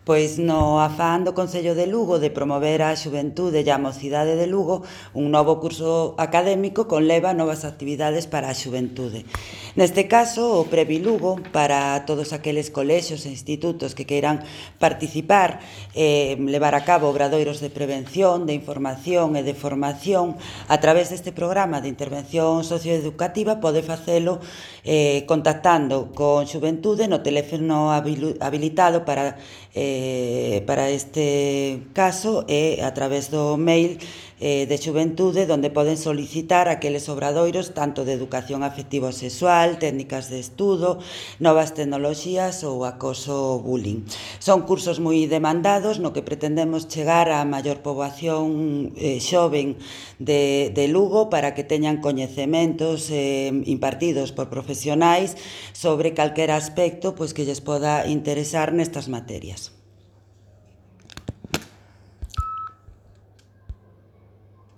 Pois no afán do Concello de Lugo de promover a xuventude e a mocidade de Lugo, un novo curso académico conleva novas actividades para a xuventude. Neste caso, o Previ Lugo, para todos aqueles colexios e institutos que queiran participar e levar a cabo obradoiros de prevención, de información e de formación a través deste programa de intervención socioeducativa, pode facelo contactando con xuventude no teléfono habilitado para este caso e a través do mail de xuventude onde poden solicitar aqueles obradoiros tanto de educación afectivo-sexual, técnicas de estudo, novas tecnoloxías ou acoso bullying. Son cursos moi demandados no que pretendemos chegar á maior poboación xoven de Lugo para que teñan coñecementos impartidos por profesionais sobre calquera aspecto pois que lles poda interesar nestas materias.